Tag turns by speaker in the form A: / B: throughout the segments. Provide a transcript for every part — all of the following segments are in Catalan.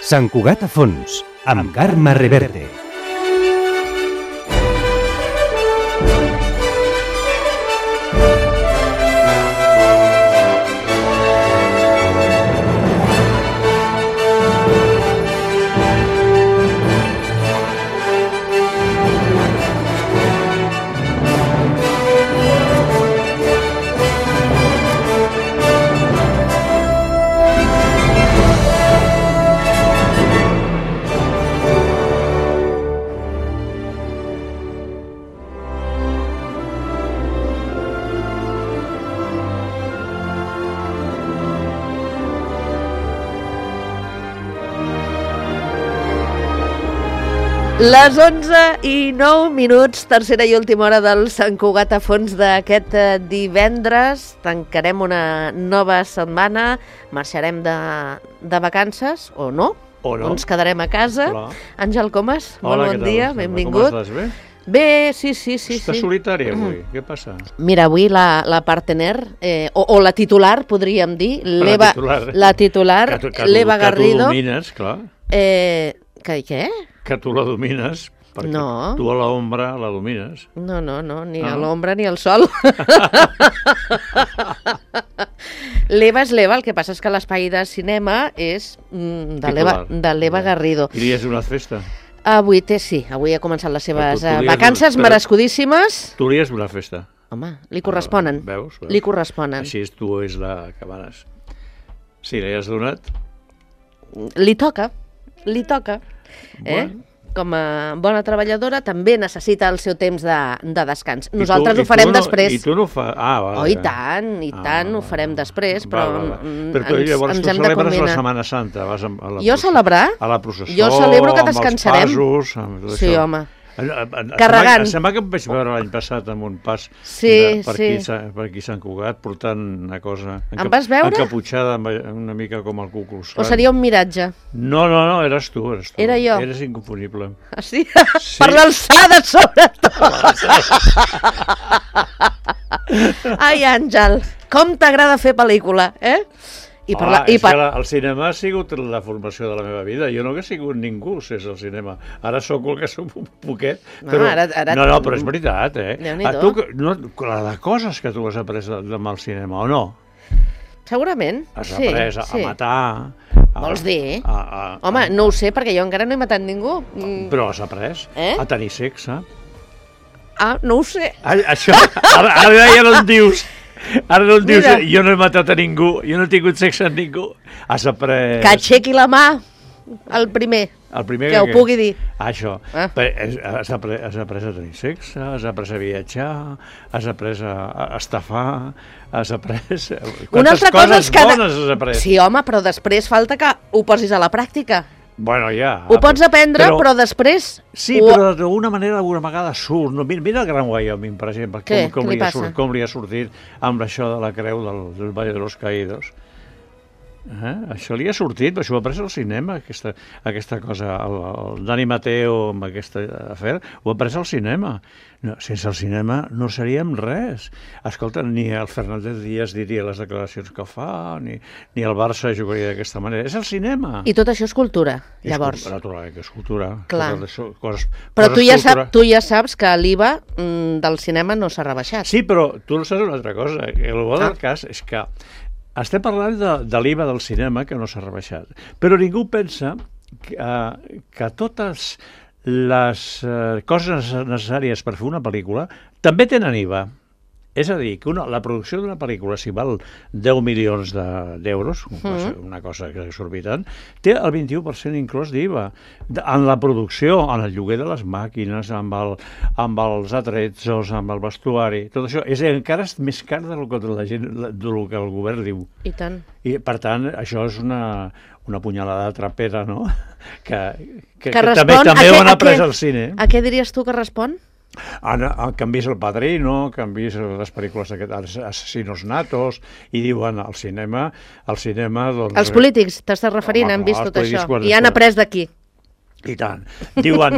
A: Sant Cugat a fons, amb Carme Reverte.
B: Les 11:09, tercera i última hora del Sant Cugat a fons d'aquest divendres. Tancarem una nova setmana, marxarem de vacances, o no?
C: O no.
B: Ens quedarem a casa.
C: Clar.
B: Àngel Comas,
C: Hola,
B: molt bon dia, benvingut.
C: Com estàs, bé?
B: Bé, sí.
C: Estàs solitària avui, què passa?
B: Mira, avui la partener, o la titular, podríem dir, la titular, l'Eva Garrido.
C: Que tu domines, clar.
B: Què?
C: Que tu la domines, perquè
B: No.
C: tu a l'ombra la domines.
B: No, ni a l'ombra ni al sol. L'Eva és l'Eva, el que passa és que l'espai de cinema és de l'Eva Garrido.
C: I li has donat festa?
B: Avui ha començat les seves
C: Però tu
B: vacances merescudíssimes.
C: Tu li has donat festa.
B: Home, li corresponen.
C: Veus?
B: Li corresponen.
C: Així tu és la que manes. Si li has donat...
B: Li toca.
C: Bueno.
B: Com a bona treballadora també necessita el seu temps de descans. Nosaltres ho farem després.
C: I tu no ho fas...
B: Vale. Oh, i tant, ho farem després, però
C: Però tu llavors
B: ens
C: tu
B: hem de
C: celebres
B: combinar.
C: la Setmana Santa, vas a la
B: Jo celebrar?
C: a la processó,
B: Jo celebro que descansarem.
C: amb els passos, amb tot
B: Sí,
C: això.
B: home.
C: Carregant. Em sembla que em vaig veure l'any passat amb un pas per aquí Sant Cugat portant una cosa
B: Em vas veure?
C: encaputxada una mica com el Ku Klux Klan.
B: O seria un miratge?
C: No, eres tu.
B: Era jo?
C: Eres inconfonible.
B: Ah, sí? Per l'alçada, sobretot! Ai, Àngel, com t'agrada fer pel·lícula, eh?
C: El cinema ha sigut la formació de la meva vida. Jo no hagués sigut ningú si és el cinema. Ara sóc el que sóc un poquet. Però... No, però és veritat, eh? La de coses que tu has après amb el cinema, o no?
B: Segurament,
C: has après a matar...
B: Vols dir? Home, no ho sé, perquè jo encara no he matat ningú.
C: Però has après a tenir sexe.
B: Ah, no ho sé.
C: Això, ara ja no en dius... Ara no em dius, jo no he matat a ningú, jo no he tingut sexe amb ningú. Has après...
B: Que aixequi la mà, el primer que ho pugui dir.
C: Això. Has après a tenir sexe, has après a viatjar, has après a estafar, has après... Quantes coses bones has après?
B: Sí, home, però després falta que ho posis a la pràctica.
C: Bueno, ja.
B: Ho pots aprendre, però després...
C: Sí, però d'alguna manera, alguna vegada surt. Mira el Gran Wyoming, per exemple, com li ha sortit amb això de la creu del Valle de los Caídos. Això li ha sortit, això ho ha après al cinema, aquesta cosa. El Dani Mateo, amb aquest afer, ho ha après al cinema. No, sense el cinema no seríem res. Escolta, ni el Fernández Díaz diria les declaracions que fa, ni el Barça jugaria d'aquesta manera. És el cinema.
B: I tot això és cultura, llavors.
C: Naturalment que és cultura.
B: Clar. Però tu ja saps que l'IVA del cinema no s'ha rebaixat.
C: Sí, però tu no saps una altra cosa. El bo del cas és que estem parlant de l'IVA del cinema, que no s'ha rebaixat. Però ningú pensa que totes les coses necessàries per fer una pel·lícula també tenen IVA. És a dir, que la producció d'una pel·lícula, si val 10 milions d'euros, una cosa exorbitant, té el 21% inclòs d'IVA. En la producció, en el lloguer de les màquines, amb els atrezzos, amb el vestuari, tot això encara és més car del que el govern diu.
B: I tant.
C: I, per tant, això és una punyalada trapera, no? Que també ho han après al cine.
B: A què diries tu que respon?
C: Que han vist El Padrino, que han vist les pel·lícules d'aquests assassinos natos, i diuen al cinema... doncs,
B: els polítics, t'estàs referint, han vist tot això, i han après d'aquí.
C: I tant. Diuen,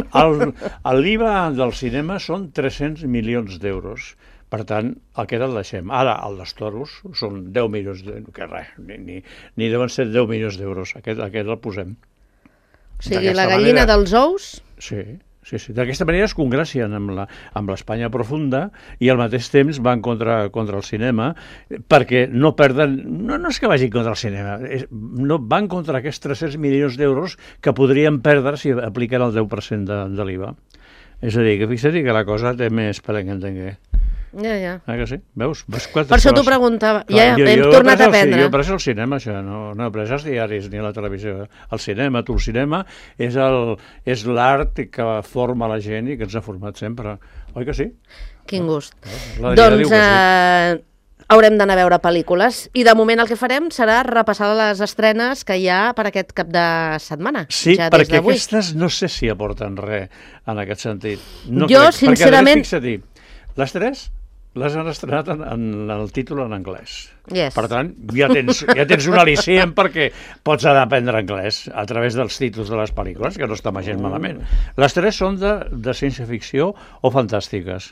C: l'IVA del cinema són 300 milions d'euros. Per tant, aquest el deixem. Ara, el dels toros són 10 milions d'euros, que res, ni deuen ser 10 milions d'euros. Aquest el posem.
B: O sigui, la gallina dels ous...
C: Sí. D'aquesta manera es congracien amb l'Espanya profunda i al mateix temps van contra el cinema perquè no perden... No és que vagin contra el cinema, no van contra aquests 300 milions d'euros que podrien perdre si apliquen el 10% de l'IVA. És a dir, que fixa't que la cosa té més per entenguer.
B: Ja.
C: Ah, que sí? Veus?
B: Per això t'ho preguntava. Ja hem tornat a aprendre.
C: Jo he pres el cinema, això, no he pres els diaris ni la televisió. El cinema, el cinema és l'art que forma la gent i que ens ha format sempre. Oi que sí?
B: Quin gust. Doncs haurem d'anar a veure pel·lícules i de moment el que farem serà repassar les estrenes que hi ha per aquest cap de setmana.
C: Sí, perquè aquestes no sé si aporten res en aquest sentit.
B: Jo, sincerament...
C: Perquè, fixa-t'hi, les tres les han estrenat en el títol en anglès.
B: Yes.
C: Per tant, ja tens un al·licient perquè pots anar a aprendre anglès a través dels títols de les pel·lícules, que no està gens malament. Les tres són de ciència-ficció o fantàstiques.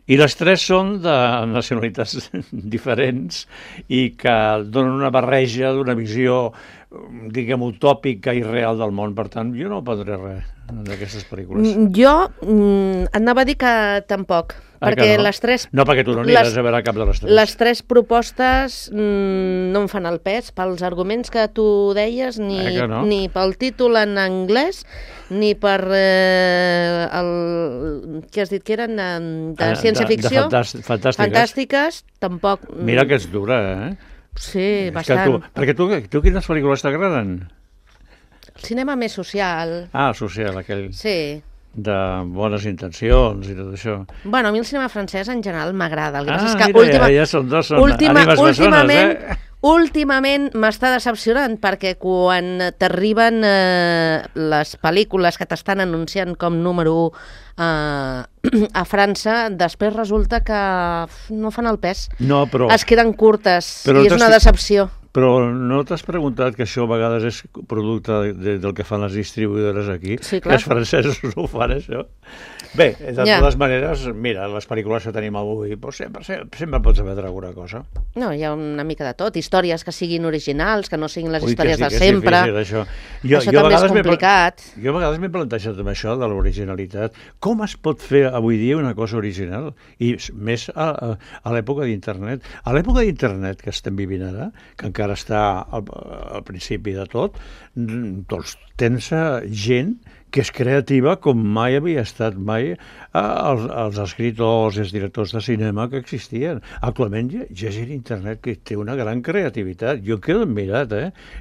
C: I les tres són de nacionalitats diferents i que donen una barreja d'una visió, diguem, utòpica i real del món. Per tant, jo no prendré res d'aquestes pel·lícules.
B: Jo anava a dir que tampoc. Perquè
C: no?
B: Les tres...
C: No, perquè tu no aniràs a veure cap de les tres.
B: Les tres propostes no em fan el pes pels arguments que tu deies, ni pel títol en anglès, ni per què has dit que eren de ciència-ficció. Fantàstiques, tampoc.
C: Mira que és dura, eh?
B: Sí, bastant.
C: Perquè tu quines pel·lícules t'agraden?
B: El cinema més social.
C: Ah, social, aquell... Sí. De bones intencions i tot això.
B: Bueno, a mi el cinema francès en general m'agrada.
C: Ja són ànimes bessones,
B: Últimament m'està decepcionant perquè quan t'arriben les pel·lícules que t'estan anunciant com número 1 a França, després resulta que no fan el pes.
C: No, però...
B: Es queden curtes i és una decepció.
C: Però no t'has preguntat que això a vegades és producte del que fan les distribuïdores aquí?
B: Sí, clar.
C: Que els francesos ho fan, això? Bé, de totes maneres, mira, les pel·lícules que tenim avui, doncs sempre pots emetre alguna cosa.
B: No, hi ha una mica de tot. Històries que siguin originals, que no siguin les històries de sempre.
C: Això
B: també és complicat.
C: Jo a vegades m'he plantejat amb això de l'originalitat. Com es pot fer avui dia una cosa original? I més a l'època d'internet. A l'època d'internet que estem vivint ara, que encara està al principi de tot, doncs tens gent que és creativa com mai havia estat mai els escriptors i els directors de cinema que existien. Actualment hi ha gent a internet que té una gran creativitat. Jo quedo admirat,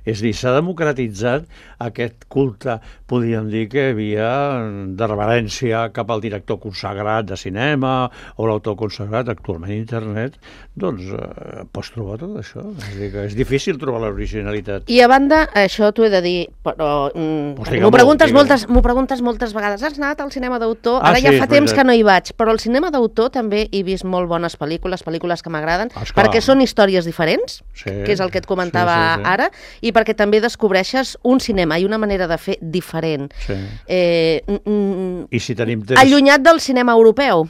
C: És a dir, s'ha democratitzat aquest culte, podríem dir, que hi havia de reverència cap al director consagrat de cinema o l'autor consagrat. Actualment a internet, doncs, pots trobar tot això. És a dir, que és difícil trobar l'originalitat.
B: I a banda, això t'ho he de dir, però m'ho preguntes moltes vegades. Has anat al cinema d'autor? Ara ja fa temps que no hi vaig, però al cinema d'autor també he vist molt bones pel·lícules que m'agraden, perquè són històries diferents, que és el que et comentava ara, i perquè també descobreixes un cinema i una manera de fer diferent.
C: I si tenim temps...
B: Allunyat del cinema europeu.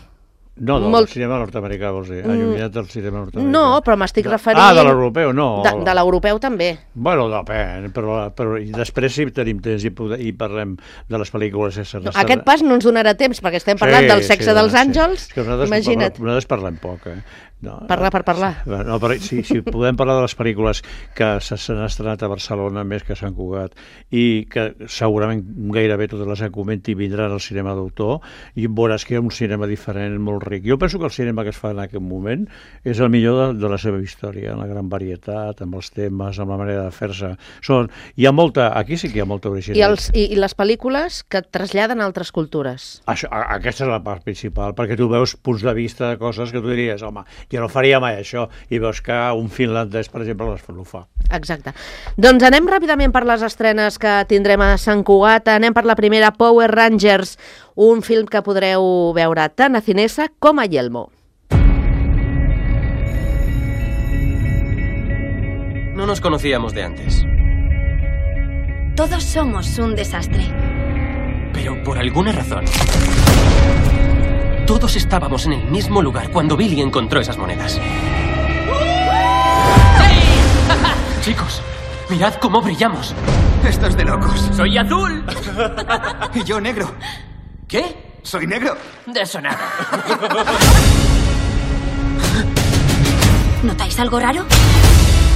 C: No, del cinema nord-americà, vols dir. Allunyat del cinema nord-americà.
B: No, però m'estic referint...
C: de l'europeu, no.
B: De l'europeu també.
C: Bueno, depèn, però després si tenim temps i parlem de les pel·lícules...
B: Aquest pas no ens donarà temps, perquè estem parlant del sexe dels àngels. Imagina't.
C: Nosaltres parlem poc,
B: Parlar per parlar.
C: No, però si podem parlar de les pel·lícules que s'han estrenat a Barcelona, més que a Sant Cugat, i que segurament gairebé totes les que comenti vindran al cinema d'autor, i veuràs que hi ha un cinema diferent, molt ric. Jo penso que el cinema que es fa en aquest moment és el millor de la seva història, la gran varietat, amb els temes, amb la manera de fer-se. Aquí sí que hi ha molta originalitat.
B: I les pel·lícules que traslladen a altres cultures.
C: Aquesta és la part principal, perquè tu veus punts de vista de coses que tu diries, home, jo no faria mai això, i veus que un finlandès, per exemple, ho fa.
B: Exacte. Doncs anem ràpidament per les estrenes que tindrem a Sant Cugat. Anem per la primera, Power Rangers, un film que podreu veure tant a Cinesa com a Yelmo.
D: No nos conocíamos de antes.
E: Todos somos un desastre.
D: Pero por alguna razón... Todos estábamos en el mismo lugar cuando Billy encontró esas monedas. ¡Sí! Chicos, mirad cómo brillamos.
F: Esto es de locos.
D: ¡Soy azul!
F: Y yo negro.
D: ¿Qué?
F: Soy negro.
D: De eso nada.
E: ¿Notáis algo raro?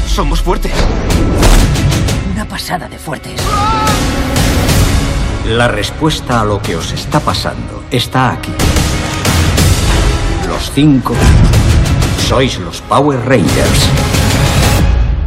F: Somos fuertes.
D: Una pasada de fuertes.
G: La respuesta a lo que os está pasando está aquí. Los 5 sois los Power Rangers.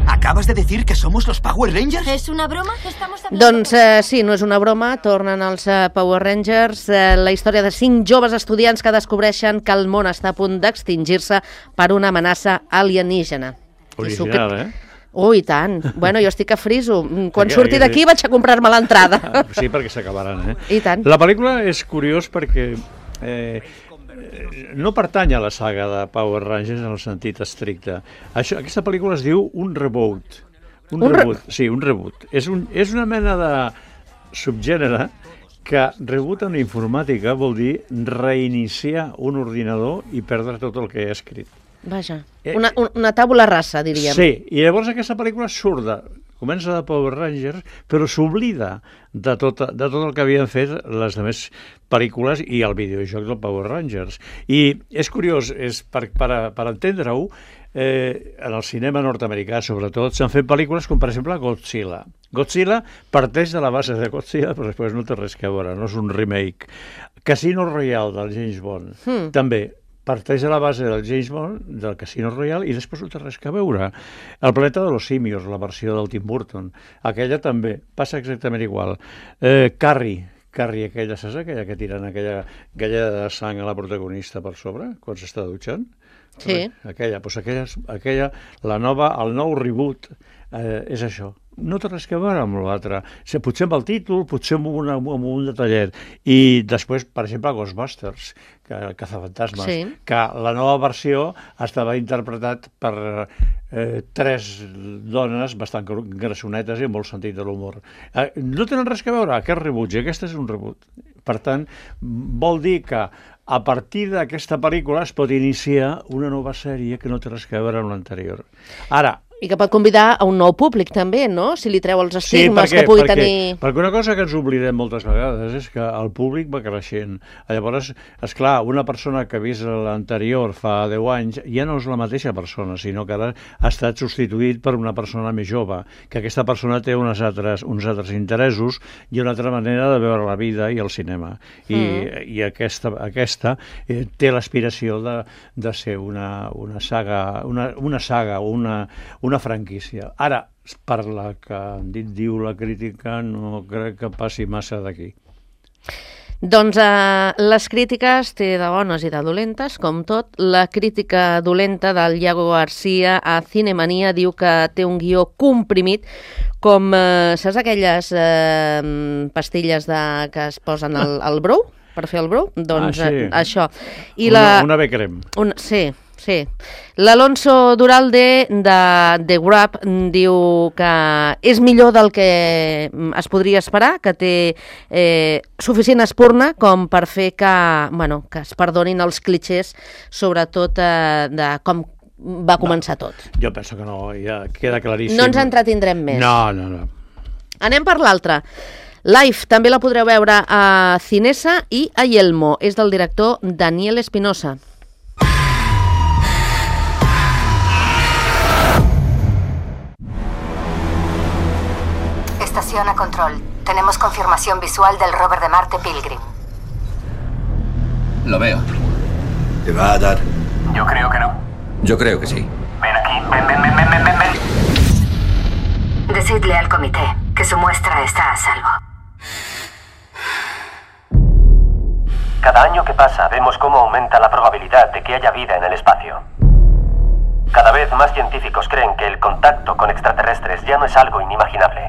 F: ¿Acabas de decir que somos los Power Rangers?
E: ¿Es una broma? Estamos hablando...
B: Doncs sí, no és una broma, tornen els Power Rangers, la història de 5 joves estudiants que descobreixen que el món està a punt d'extingir-se per una amenaça alienígena.
C: Original,
B: I tant. Bueno, jo estic a friso. Quan surti d'aquí vaig a comprar-me l'entrada.
C: Sí, perquè s'acabaran,
B: I tant.
C: La pel·lícula és curiós perquè no pertany a la saga de Power Rangers en el sentit estricte. Aquesta pel·lícula es diu un reboot. Un reboot. És una mena de subgènere que reboot en informàtica vol dir reiniciar un ordinador i perdre tot el que he escrit.
B: Vaja, una tàbula rasa, diríem.
C: Sí, i llavors aquesta pel·lícula comença de Power Rangers, però s'oblida de tot el que havien fet les altres pel·lícules i el videojoc del Power Rangers. I és curiós, per entendre-ho, en el cinema nord-americà, sobretot, s'han fet pel·lícules com, per exemple, Godzilla. Godzilla parteix de la base de Godzilla, però després no té res a veure, no és un remake. Casino Royale, del James Bond, també parteix de la base del James Bond, del Casino Royale, i després no té res a veure. El planeta de los simios, la versió del Tim Burton, aquella també, passa exactament igual. Carrie, aquella, saps aquella que tiren aquella galleda de sang a la protagonista per sobre, quan s'està dutxant?
B: Sí.
C: Aquella, el nou reboot és això. No té res a veure amb l'altre. Potser amb el títol, potser amb un detallet. I després, per exemple, Ghostbusters, Cazafantasmes, que la nova versió estava interpretat per 3 dones bastant grassonetes i amb molt sentit de l'humor. No tenen res a veure aquest reboot, i aquest és un reboot. Per tant, vol dir que a partir d'aquesta pel·lícula es pot iniciar una nova sèrie que no té res a veure amb l'anterior. Ara,
B: I que pot convidar a un nou públic, també, no? Si li treu els estigmes que pugui tenir...
C: Perquè una cosa que ens oblidem moltes vegades és que el públic va creixent. Llavors, esclar, una persona que ha vist l'anterior fa 10 anys ja no és la mateixa persona, sinó que ara ha estat substituït per una persona més jove, que aquesta persona té uns altres interessos i una altra manera de veure la vida i el cinema. I aquesta té l'aspiració de ser una saga, una franquícia. Ara, per la que diu la crítica, no crec que passi massa d'aquí.
B: Doncs les crítiques té de bones i de dolentes, com tot. La crítica dolenta del Iago Garcia a Cinemania diu que té un guió comprimit, com, saps aquelles pastilles que es posen al brou, per fer el brou? Doncs això.
C: Una B-crem.
B: Sí. L'Alonso Duralde de The Grab diu que és millor del que es podria esperar, que té suficient espurna com per fer que es perdonin els clixés, sobretot de com va començar tot.
C: Jo penso que no, ja queda claríssim.
B: No ens entretindrem més.
C: No.
B: Anem per l'altra. Life també la podreu veure a Cinesa i a Yelmo. És del director Daniel Espinosa.
H: Estación a control. Tenemos confirmación visual del rover de Marte Pilgrim.
F: Lo veo.
G: ¿Te va a dar?
D: Yo creo que no.
G: Yo creo que sí.
D: Ven aquí, ven.
H: Decidle al comité que su muestra está a salvo.
D: Cada año que pasa vemos cómo aumenta la probabilidad de que haya vida en el espacio. Cada vez más científicos creen que el contacto con extraterrestres ya no es algo inimaginable,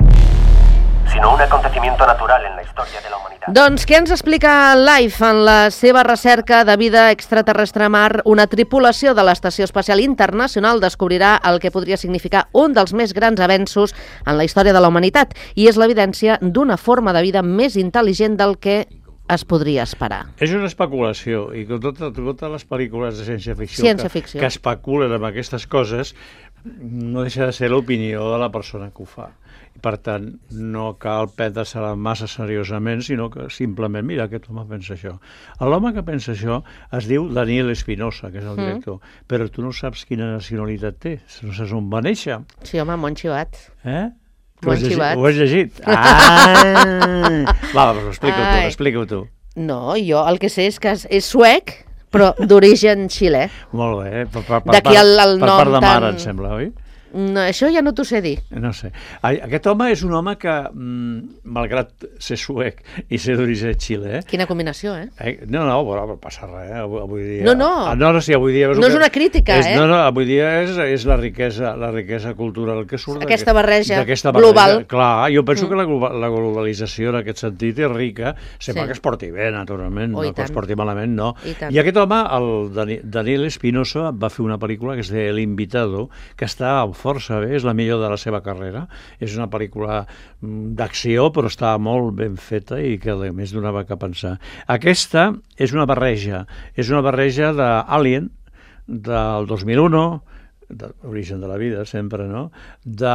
D: sinó un acontecimiento natural en la història de la humanitat.
B: Doncs què ens explica Life en la seva recerca de vida extraterrestre a Mar? Una tripulació de l'Estació Espacial Internacional descobrirà el que podria significar un dels més grans avenços en la història de la humanitat, i és l'evidència d'una forma de vida més intel·ligent del que es podria esperar.
C: És una especulació, i totes les pel·lícules de ciència-ficció que especulen amb aquestes coses no deixa de ser l'opinió de la persona que ho fa. I, per tant, no cal prendre-se-la massa seriosament, sinó que simplement, mira, aquest home pensa això. L'home que pensa això es diu Daniel Espinosa, que és el director, però tu no saps quina nacionalitat té, no saps on va néixer.
B: Sí, home, molt xivat.
C: Ho has llegit? Va, però explica-ho tu.
B: No, jo el que sé és que és suec, però d'origen xilè.
C: Molt bé,
B: D'aquí el nom
C: per part de mare,
B: tan...
C: em sembla, oi?
B: No, això ja no t'ho sé dir.
C: No sé. Aquest home és un home que, malgrat ser suec i ser d'origen xilè...
B: Quina combinació,
C: No, però passa res, avui dia...
B: No,
C: sí, avui dia...
B: No és una crítica,
C: No, avui dia és la riquesa cultural que surt...
B: Aquesta barreja global.
C: Clar, jo penso que la globalització en aquest sentit és rica, sempre que es porti bé, naturalment, no que es porti malament, no. I aquest home, el Daniel Espinosa, va fer una pel·lícula que es deia El Invitado, que està força bé, és la millor de la seva carrera. És una pel·lícula d'acció, però està molt ben feta i que a més donava que pensar. Aquesta és una barreja d'Alien, del 2001, d'Origen de la vida, sempre, no? De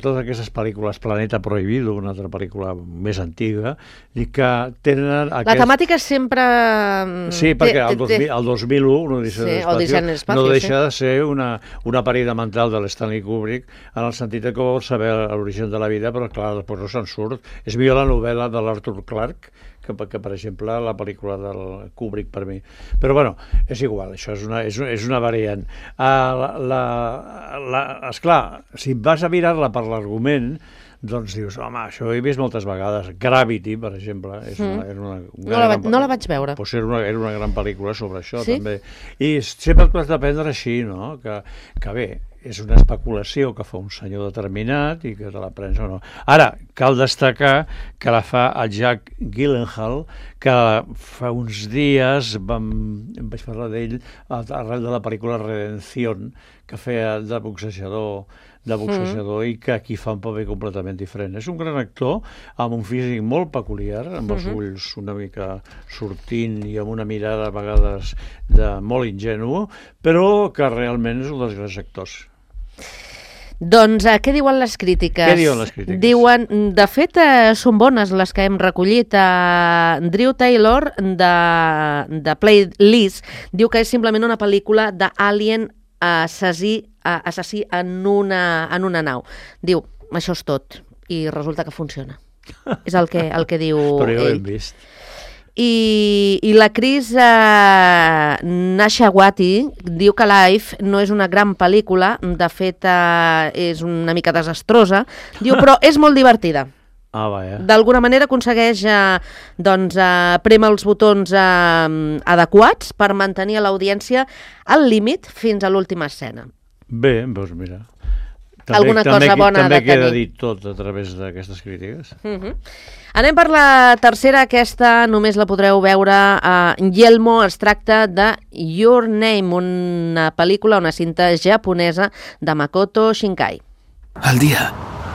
C: totes aquestes pel·lícules, Planeta Prohibido, una altra pel·lícula més antiga, i que tenen...
B: La temàtica és sempre...
C: Sí, perquè el 2001, Odissea de l'Espacio, no deixa de ser una parida mental de l'Stanley Kubrick, en el sentit que vol saber l'origen de la vida, però clar, després no se'n surt. És millor la novel·la de l'Arthur Clarke, que per exemple la pel·lícula del Kubrick per mi. Però bueno, és igual, això és una variant. Esclar, si vas a mirar-la per l'argument, doncs dius, home, això ho he vist moltes vegades. Gravity, per exemple,
B: no la vaig veure.
C: Pues era una gran pel·lícula sobre això, també. I sempre t'ho has de prendre així, no? Que bé, és una especulació que fa un senyor determinat i que te la prens o no. Ara, cal destacar que la fa el Jack Gyllenhaal, que fa uns dies vaig parlar d'ell arrel de la pel·lícula Redención, que feia de boxejador i que aquí fa un paper completament diferent. És un gran actor amb un físic molt peculiar, amb els ulls una mica sortint i amb una mirada a vegades molt ingenu, però que realment és un dels grans actors.
B: Doncs què diuen les crítiques?
C: Què diuen les crítiques?
B: Diuen, de fet, són bones les que hem recollit. Drew Taylor, de Playlist, diu que és simplement una pel·lícula d'Alien assassí en una nau. Diu, això és tot. I resulta que funciona. És el que diu ell.
C: Però ja ho hem vist.
B: I la Chris Nashawati diu que Life no és una gran pel·lícula, de fet és una mica desastrosa, diu, però és molt divertida. D'alguna manera aconsegueix prémer els botons adequats per mantenir l'audiència al límit fins a l'última escena.
C: Bé, doncs mira,
B: alguna cosa bona
C: també
B: de tenir.
C: queda dit tot a través d'aquestes crítiques.
B: Anem per la tercera, aquesta només la podreu veure a Yelmo. Es tracta de Your Name, una pel·lícula, una cinta japonesa de Makoto Shinkai.
F: El dia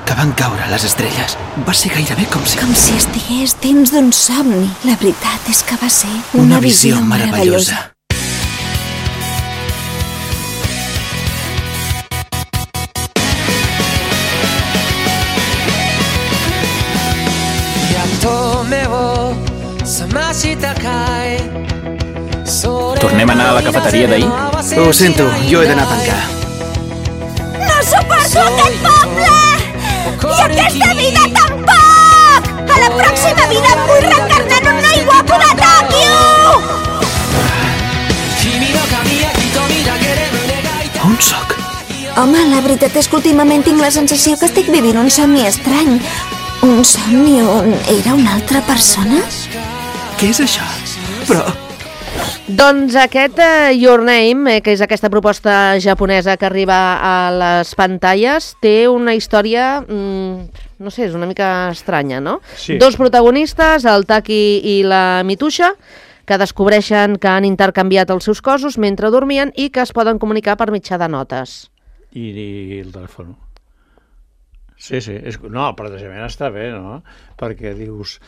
F: que van caure les estrelles va ser gairebé com si
E: estigués dins d'un somni. La veritat és que va ser una visió meravellosa.
F: Tornem a anar a la cafeteria d'ahir? Ho sento, jo he d'anar a tancar.
E: No suporto aquest poble! I aquesta vida tampoc! A la pròxima vida em vull reencarnar en un noi guapo de Tòquio!
F: On sóc?
E: Home, la veritat és que últimament tinc la sensació que estic vivint un somni estrany. Un somni on era una altra persona?
F: Què és això? Però...
B: Doncs aquest Your Name, que és aquesta proposta japonesa que arriba a les pantalles, té una història, no sé, és una mica estranya, no?
C: Sí.
B: Dos protagonistes, el Taki i la Mitusha, que descobreixen que han intercanviat els seus cossos mentre dormien i que es poden comunicar per mitjà de notes.
C: I el telèfon. Sí. No, el plantejament està bé, no? Perquè dius,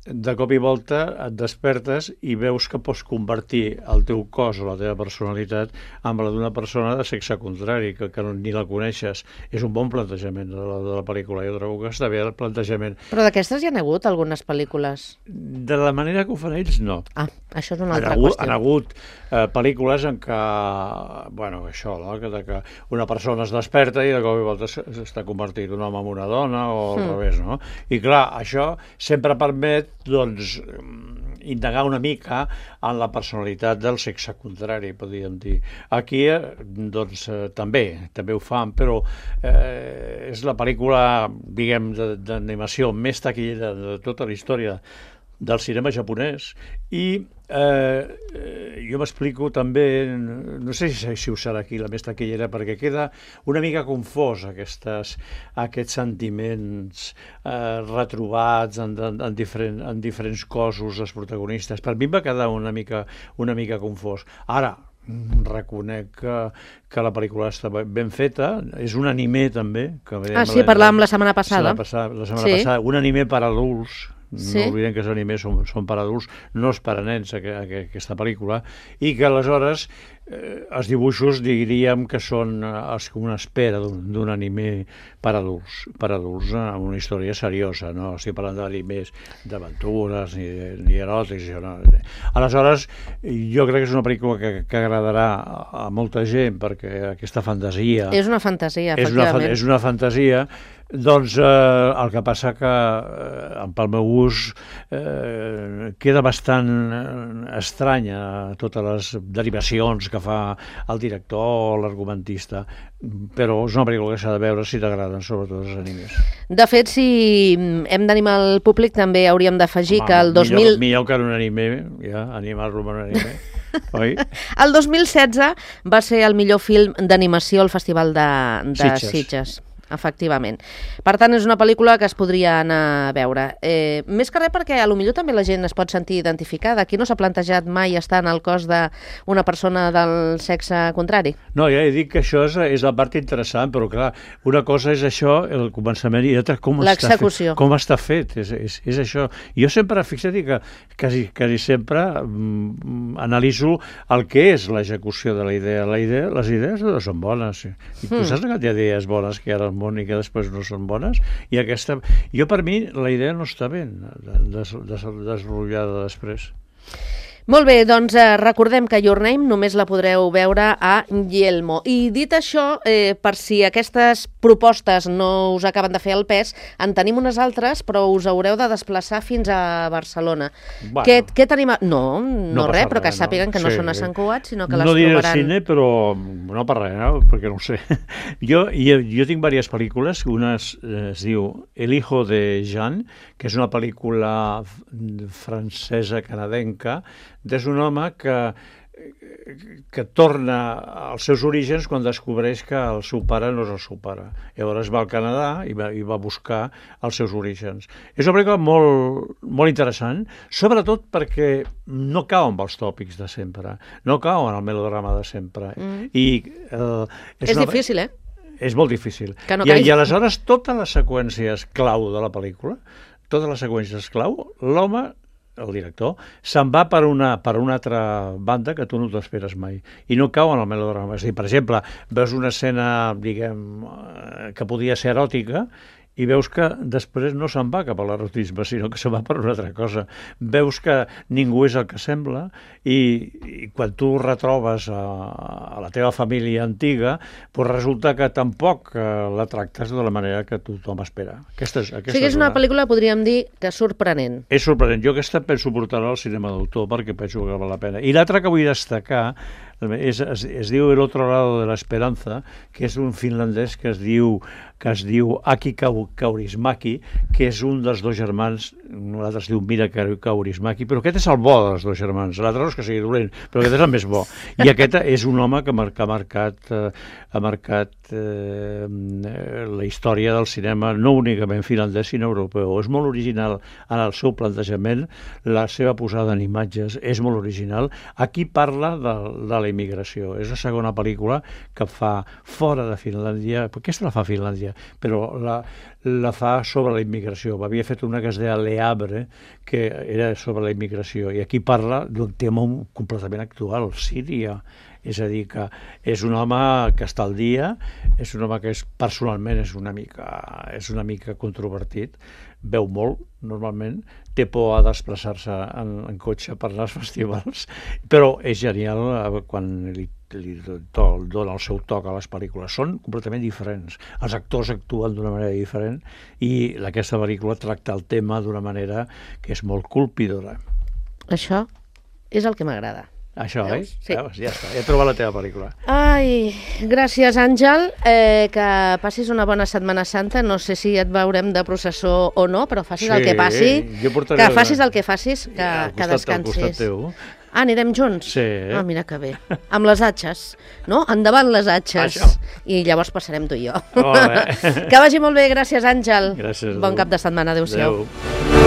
C: de cop i volta et despertes i veus que pots convertir el teu cos o la teva personalitat amb la d'una persona de sexe contrari, que ni la coneixes. És un bon plantejament de la pel·lícula. Jo trobo que està bé el plantejament.
B: Però d'aquestes hi ha hagut algunes pel·lícules?
C: De la manera que ho fan ells, no.
B: Això és una altra qüestió.
C: Han hagut pel·lícules en què, bueno, això, no? que una persona es desperta i de cop i volta s'està convertint un home en una dona o al revés, no? I clar, això sempre permet, doncs, indagar una mica en la personalitat del sexe contrari, podríem dir. Aquí, doncs, també ho fan, però és la pel·lícula, diguem, d'animació més taquillera de tota la història del cinema japonès, i jo m'explico també, no sé si ho serà aquí la més taquillera, perquè queda una mica confós aquests sentiments retrobats en diferents cossos dels protagonistes. Per mi em va quedar una mica confós. Ara, reconec que la pel·lícula està ben feta, és un anime també.
B: Sí, parlàvem la setmana passada.
C: Un anime per adults. No oblidem que els animes són per adults, no és per a nens aquesta pel·lícula, i que aleshores els dibuixos diríem que són una espera d'un anime per adults, amb una història seriosa, no estic parlant d'animes d'aventures ni eròtics. Aleshores, jo crec que és una pel·lícula que agradarà a molta gent, perquè aquesta fantasia...
B: És una fantasia, efectivament.
C: És una fantasia. Doncs el que passa que pel meu gust queda bastant estranya totes les derivacions que fa el director o l'argumentista, però és una pel·lícula que s'ha de veure si t'agraden sobretot els animes.
B: De fet, si hem d'animar el públic, també hauríem d'afegir que el 2000...
C: Millor que en un anime, ja, animar-lo en un anime. Oi?
B: El 2016 va ser el millor film d'animació al Festival de Sitges. Efectivament. Per tant, és una pel·lícula que es podria anar a veure. Més que res perquè potser també la gent es pot sentir identificada. Aquí no s'ha plantejat mai estar en el cos d'una persona del sexe contrari?
C: No, ja he dit que això és la part interessant, però clar, una cosa és això, el començament, i l'altra com està fet. És això. Jo sempre, fixa't que quasi sempre analitzo el que és l'execució de la idea. Les idees no són bones. I tu saps que hi ha idees bones que hi ha al món i que després no són bones? I jo, per mi, la idea no està ben desenvolupada després.
B: Molt bé, doncs recordem que Your Name només la podreu veure a Yelmo. I dit això, per si aquestes propostes no us acaben de fer el pes, en tenim unes altres, però us haureu de desplaçar fins a Barcelona. Què tenim? No res, però que sàpiguen que no són a Sant Cugat, sinó que les trobaran...
C: No diré cine, però no per res, perquè no ho sé. Jo tinc diverses pel·lícules. Una es diu El hijo de Jean, que és una pel·lícula francesa-canadenca. És un home que torna als seus orígens quan descobreix que el seu pare no és el seu pare. Llavors va al Canadà i va buscar els seus orígens. És una pel·lícula molt interessant, sobretot perquè no cau amb els tòpics de sempre, no cau en el melodrama de sempre.
B: És difícil, eh?
C: És molt difícil. I aleshores totes les seqüències clau de la pel·lícula, l'home, el director, se'n va per una altra banda que tu no t'esperes mai. I no cau en el melodrama. És a dir, per exemple, veus una escena, diguem, que podia ser eròtica, i veus que després no se'n va cap a l'erotisme, sinó que se'n va per una altra cosa. Veus que ningú és el que sembla, i quan tu retrobes a la teva família antiga, doncs resulta que tampoc la tractes de la manera que tothom espera. O sigui,
B: és una pel·lícula, podríem dir, que és sorprenent.
C: És sorprenent. Jo aquesta penso portar-la al cinema d'autor perquè penso que val la pena. I l'altra que vull destacar es diu El otro lado de la esperanza, que és un finlandès que es diu Aki Kaurismäki, que és un dels dos germans. L'altre es diu Mira Kaurismäki, però aquest és el bo dels dos germans. L'altre no és que sigui dolent, però aquest és el més bo. I aquest és un home que ha marcat la història del cinema, no únicament finlandès, sinó europeu. És molt original en el seu plantejament, la seva posada en imatges és molt original. Aquí parla de la immigració. És la segona pel·lícula que fa fora de Finlàndia, perquè aquesta la fa Finlàndia, però la fa sobre la immigració. Havia fet una que es deia Le Havre, que era sobre la immigració, i aquí parla d'un tema completament actual, Síria. És a dir, que és un home que està al dia, és un home que personalment és una mica controvertit, veu molt, normalment, té por a desplaçar-se en cotxe per anar als festivals, però és genial quan li dona el seu toc a les pel·lícules. Són completament diferents. Els actors actuen d'una manera diferent i aquesta pel·lícula tracta el tema d'una manera que és molt colpidora.
B: Això és el que m'agrada.
C: Això,
B: veus? Sí.
C: Veus? Ja està, he trobat la teva pel·lícula.
B: Ai, gràcies, Àngel. Que passis una bona Setmana Santa. No sé si et veurem de processó o no, però facis el que passi. Que facis el que facis, que descansis.
C: Al costat teu.
B: Anirem junts?
C: Sí.
B: Ah, mira que bé. Amb les atxes, no? Endavant les atxes.
C: Això.
B: I llavors passarem tu i jo.
C: Molt bé.
B: Que vagi molt bé, gràcies, Àngel.
C: Gràcies.
B: Bon cap de setmana, adéu-siau.
C: Adéu.